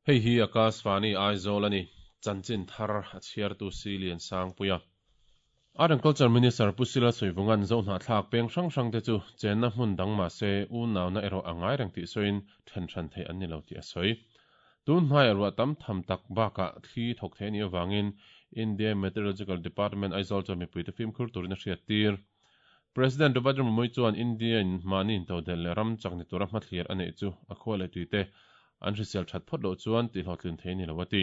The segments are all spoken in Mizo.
Hei hi Akashvani Aizawl a ni. Chanchin thar a chhiartu Si Lian Sangpuia. Art and Culture Minister Pu Sila Suivunga'n Zohnahthlak peng hrang hrangte chu chenna hmun dang mah se unauna erawh a ngai reng tih sawiin then hran theih an ni lo tih a sawi. Tun hmaiah ruah tam tham tak bakah thli thawk thei a nih avangin India Meteorological Department Aizawl chuan mipuite fimkhur turin a hriattir. President Draupadi Murmu chuan India-in mahni intodelh leh ram chak ni tura hmathlir a neih chu a khua leh tuite an hrisel that phawt loh chuan tihhlawhtlin thei a ni lo a ti.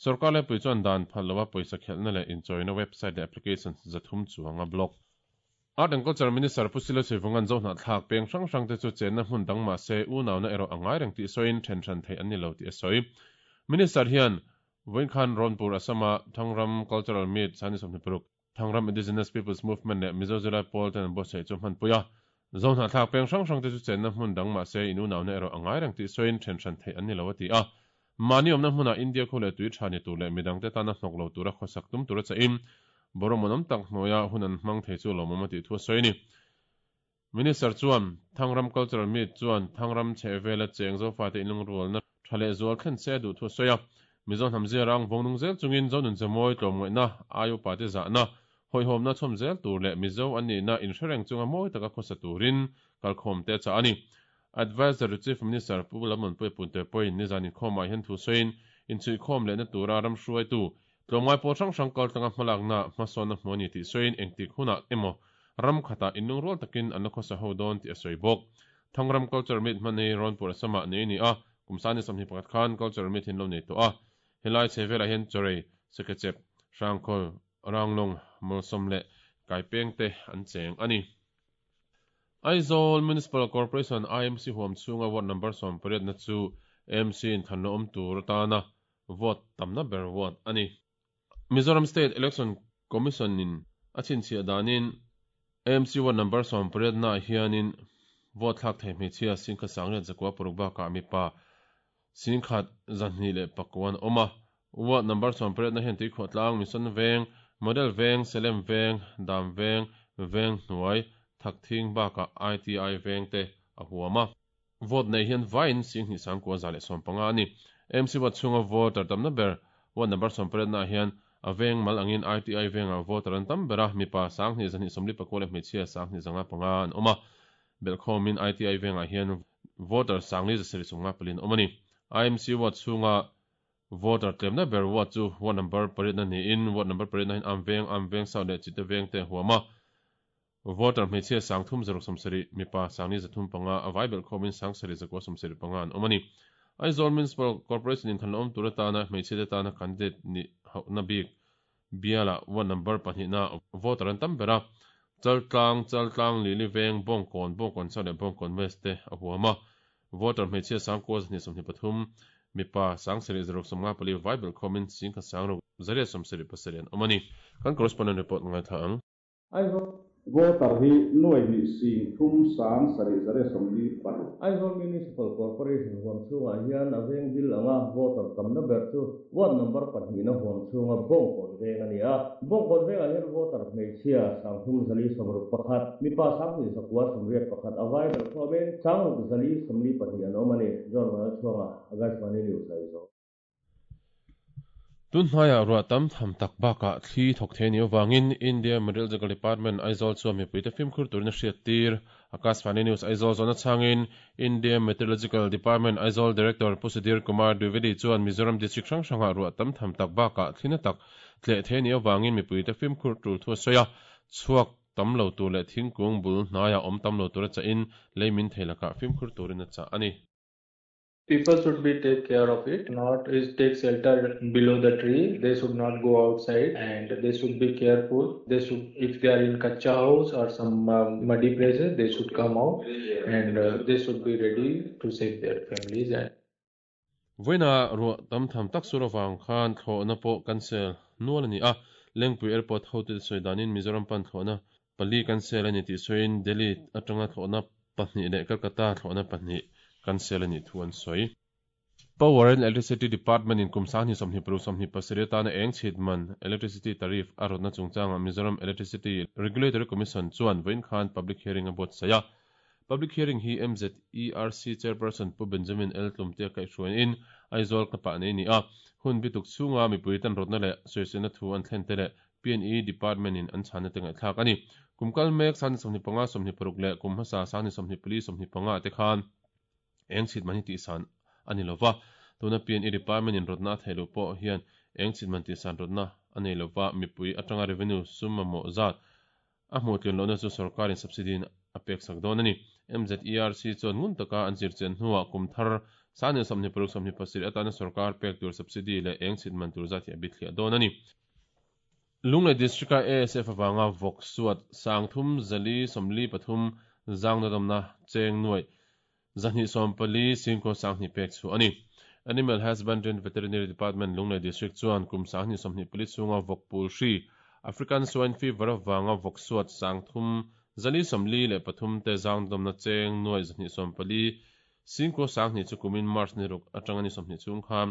Sorkar lepui chuan dan phal loa pawisa khelhna leh inchawina website leh applications 300 chuang a block. Art and Culture Minister Pu Silo Sivunga'n Zohnahthlak peng hrang hrangte chu chenna hmun dang mah se unauna erawh a ngai reng tih sawiin then hran theih an ni lo tih a sawi. Minister hian vawinkhan Rawnpur Assam-a Thangram Cultural Meet Sani 26, Thangram Indigenous Peoples Movement leh Mizo Zirlai Pawl ten an buatsaih chu hmanpui a. Zohnahthlak peng hrang hrangte chu chenna hmun dang mah se in unauna erawh a ngai reng tih sawiin then hran theih an ni lo a ti a. Mahni awmna hmunah India khu leh tui tha ni tur leh midangte tana hnawk lo tura khawsak tum tura chahin Boromonom tak hnuaia hun an hmang thei chu lawmawm a tih thu a sawi a ni. Minister chuan Thangram Cultural Meet chuan Thangram chhehvela cheng Zofate inlungrualna tha leh zual thlen se a duh thu a sawi a. Mizo hnam ziarang vawngnung zel chungin Zonun Zemawi tlawmngaihna, ai upate zahna, hawihhawmna chhawm zel tur leh Mizo an nihna inhrereng chunga mawi taka khawsa turin kalkhawmte a chah a ni. Adviser to Chief Minister Pu Lalmuanpuia Punte pawhin nizan inkhawmah hian thu sawiin inchhuihkhawm lehna tura ram hruaitu tlawmngai pawl hrang hrang kaltlanga hmalakna hmasawnna hmu a ni tih sawiin engtik hunah emaw ram khatah inlungrual takin an la khawsa ho dawn tih a sawi bawk. Thangram Culture Meet hman hi Rawnpur Assam-ah nei a ni a, kum 21 khan Culture Meet hi an lo nei tawh a. Helai chhe velah hian Chawrei, Sekechep, Hrangkhawl, Ranglawng, Mawlsawm leh Kaipengte an cheng a ni. Aizawl Municipal Corporation, IMC, huam chhunga ward number 18 na chu AMC in thlanna awm tur atana vote tamna ber ward a ni. Mizoram State Election Commission in a chhinchhiah danin AMC ward number 18 naah hianin vote thlak thei hmeichhia 1906 bakah mipa 1209 an awm a. Ward number 18 na hian Tuikhuahtlang, Mission Veng, Model Veng, Selem Veng, Dam Veng, Veng Hnuai, Thakthing bakah ITI Veng te a huam a. Vote nei hian vaiin 29,115 a ni. AMC ward chhunga voter tamna ber ward number 18 naah hian a veng mal angin ITI vengah voter an tam ber a, mipa 2224 leh hmeichhia 25 an awm a. Belhkhawmin ITI vengah hian voter 5454 an awm a ni. IMC ward chhunga Voter tlemna ber ward chu ward number pariatna niin ward number pariatna hian Am Veng, Am Veng South leh Chite Veng te a huam a. Voter hmeichhia 3670, mipa 4305, a vai belh khawmin 7975 an awm a ni. Aizawl Municipal Corporation in than awm tur atana hmeichhia te tana candidate nih hauhna bik bialah ward number pahnihna voter an tam ber a. Chaltlang, Chaltlang, Lili Veng, Bawngkawn, Bawngkawn South leh Bawngkawn West te a huam a. Voter hmeichhia 9223, mipa 7654 vai belh khawmin 16,877 an awm a ni. Kan correspondent report ngaithla ang. Aizawl voter hi nuai hnih sing thum sang sarih zariat sawmli paruk. Aizawl Municipal Corporation huam chhungah hian a veng bil anga voter tamna ber chu Ward number pahnihna huam chhunga Bawngkawn veng a ni a. Bawngkawn vengah hian voter hmeichhia 3461, mipa 2981 a vai belh khawmin 6442 an awm a ni, John Vanlalchhuanga, Akashvani News, Aizawl. Tun hmaiah ruah tam tham tak bakah thli thawk thei a nih avangin India Meteorological Department Aizawl chuan mipuite fimkhur turin a hriattir. Akashvani News Aizawl zawhna chhangin India Meteorological Department Aizawl Director Pu Sudhir Kumar Dwivedi chuan Mizoram District hrang hrangah ruah tam tham tak bakah thli na tak tleh thei a nih avangin mipuite fimkhur tul thu a sawi a, chhuak tam lo tur leh thingkung bul hnaiah awm tam lo tura chahin lei min thei lakah fimkhur turin a chah a ni. People should be take care of it, not is take shelter below the tree. They should not go outside and they should be careful. They should, if they are in kacha house or some muddy places, they should come out and they should be ready to save their families. And Vawiina ruah tam tham tak sur avang khan thlawhna pawh cancel nual a ni a, Lengpui Airport hotute sawi danin Mizoram pan thlawhna pali cancel a ni tih sawiin Delhi atanga thlawhna pahnih leh Calcutta thlawhna pahnih cancel a nih thu an sawi. Power and Electricity Department in kum 2026 27 atana eng chhit man electricity tariff a rawtna chungchangah Mizoram Electricity Regulatory Commission chuan vawiin khan public hearing a buatsaih a. Public hearing hi MZERC Chairperson Pu Benjamin L. Tlumtea kaihhruaiin. Aizawl Club-ah nei a ni a. Hun bituk chhunga mipui tan rawtna leh sawiselna thu an thlen te leh PNE Department in an chhanna te ngaihthlak a ni. Kum kal mek 25 26 leh kum hmasa 24 25 ah te khan eng chhit man hi tihsan a ni lova. Tuna PNE Department in rawtna a theih loh pawh hian eng chhit man tihsan rawtna a nei lova, mipui atanga revenue sum mamawh zat A hmuh tlun lohna chu sorkarin subsidy in a pek sak dawn a ni. MZERC chuan ngun taka an zirchian hnuah kum thar 2026 27 atana sorkar pek tur subsidy leh eng chhit man tur zat hi a bithliah dawn a ni. Lunglei District-a ASF avanga vawk suat 3443 zangnadomna cheng nuaih 240 singkaw 20 pek chhuah a ni. Animal Husbandry and Veterinary Department Lunglei District chuan kum 2024 chhunga vawk pul hri, African Swine Fever avanga vawk suat 3443 te zangdawmna cheng nuai 240 singkaw 20 chu kumin March ni ruk atanga ni 20 chhung khan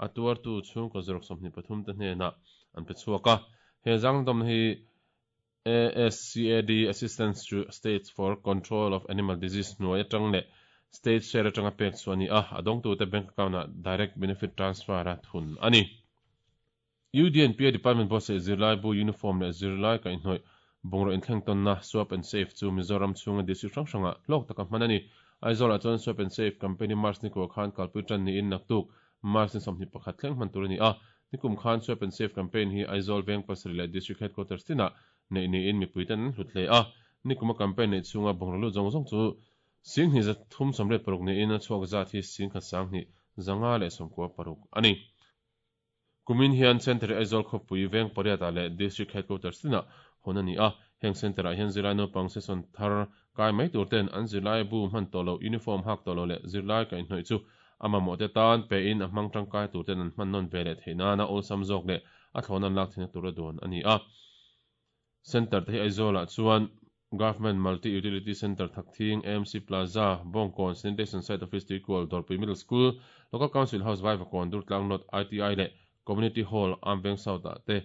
a tuartu chhungkaw zaruk 23 te hnenah an pe chhuak a. He zangdawmna hi ASCAD, Assistance to States for Control of Animal Disease, hnuai atang leh State share atanga pek chhuah a ni a, a dawngtute bank account-ah Direct Benefit Transfer a thun a ni. UDNPA Department buatsaih zirlaibu uniform leh zirlai kaihhnawih bungraw inthleng tawnna Swap and Save chu Mizoram chhunga district hrang hrangah hlawk taka hman a ni. Aizawlah chuan Swap and Save campaign hi March ni kua khan kalpui tan niin naktuk March ni 21 thleng hman tur a ni a, Nikum khan Swap and Save campaign hi Aizawl veng pasarih leh District Headquarters tinah neih niin mipuiten an hlut hle a. Nikuma campaign neih chhunga bungraw lut zawng zawng chu 2386 niin a chhuak zat hi 11,596 a ni. Kumin hian Centre hi Aizawl khawpui veng pariatah leh District Headquarters tinah hawn a ni a. Heng Centre-ah hian zirlai naupang session thar kai mai tur ten an zirlai bu hman tawh loh, uniform hak tawh loh leh zirlai kaihhnawih chu a mamawhte tan pein a hmang tangkai tur ten an hman nawn ve leh theih nana awlsam zawk leh a thlawhna an lak theihna tura duan a ni a. Centre te hi Aizawlah chuan Government Multi Utility Centre Thakthing, AMC Plaza, Bawngkawn, Sanitation Site Office Tuikual, Dawrpui Middle School, Local Council House Vaivakawn, Durtlang North ITI leh Community Hall, Amveng South-ah te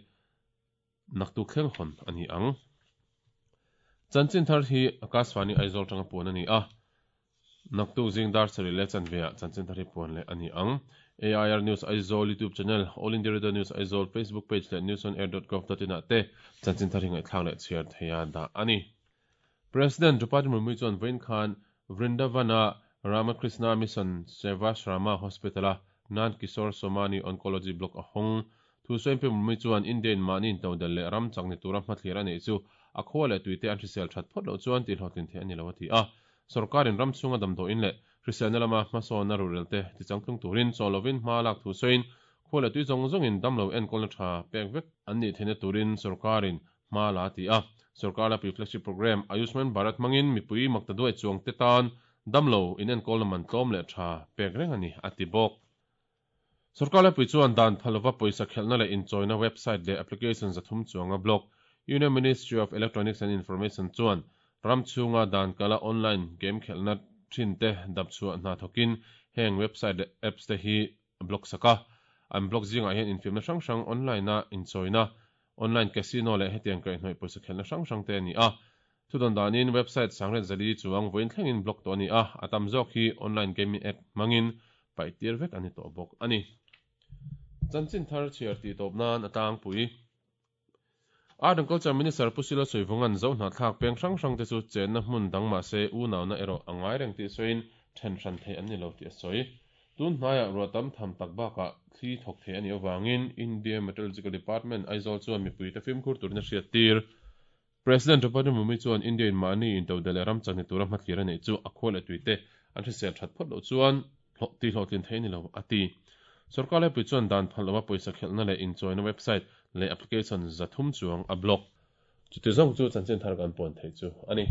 Naktuk thleng hawn a ni ang. Chanchin thar hi Akashvani Aizawl tanga puan a ni a. Naktuk zing dar sarih leh chanveah chanchin thar hi puan leh a ni ang. AIR News Aizawl YouTube channel, All India Radio News Aizawl Facebook page leh newsonair.gov.in ah te chanchin thar hi ngaihthlak leh chhiar theia dah a ni. President Draupadi Murmu chuan vawiin khan Vrindavan-a Ramakrishna Mission Sevashrama Hospital-a Nand Kishore Somani Oncology Block a hawng. Thu sawiin Pi Murmu chuan India-in mahni intodelh leh ram chak ni tura hmathlir a neih chu a khua leh tuite an hrisel that phawt loh chuan tihhlawhtlin theih a ni lo a ti a. Sorkarin ram chhunga damdawiin leh hriselna lama hmasawnna ruhrelte tichangtlung turin chaw lovin hma lak thu sawiin khua leh tui zawng zawngin damlo enkawlna tha pek vek an nih theihna turin sorkarin hma la ti a. Sorkar lapui flagship programme Ayushman Bharat hmangin mipui makta duai chuang te tan damlo inenkawlna man tlawm leh tha pek reng a ni, a ti bawk. Sorkar lapui chuan dan phal lova pawisa khelhna leh inchawina website leh application 300 chuanga blog Union Ministry of Electronics and Information chuan ram chhunga dan kala online game khelhna thin te dapchhuah hna thawkin heng website leh apps te hi a block sak a. An block zingah hian infiamna hrang hrang online-a inchawina, online casino leh hetiang kaihhnawih pawisa khelhna hrang hrang te a ni a. Thudawn danin website sangriat zali chuang vawiin thlengin block tawh a ni a, a tam zawk hi online gaming app hmangin paih tir vek a ni tawh bawk a ni. Chanchin thar chhiar tih tawp nan a tlangpui. Art and Culture Minister Pu Silo Suivunga'n Zo hnahthlak peng hrang hrang te chu chenna hmun dang mahse unauna erawh a ngai reng tih sawiin then hran theih an ni lo tih a sawi. Tun hnaiah ruah tam tham tak bakah thli thawk thei a nih avangin India Meteorological Department Aizawl chuan mipuite fimkhur turin a hriat tir. President Draupadi Murmu chuan India in mahni intodelh leh ram chak ni tura hmathlir a neih chu a khua leh tuite an hrisel that phawt loh chuan tihhlawhtlin theih a ni lo, a ti. Sorkar laipui chuan dan phal loha pawisa khelhna leh inchawina website leh application 300 chuang a block. Chuti zawng chu chanchin thar kan puan theih chu a ni.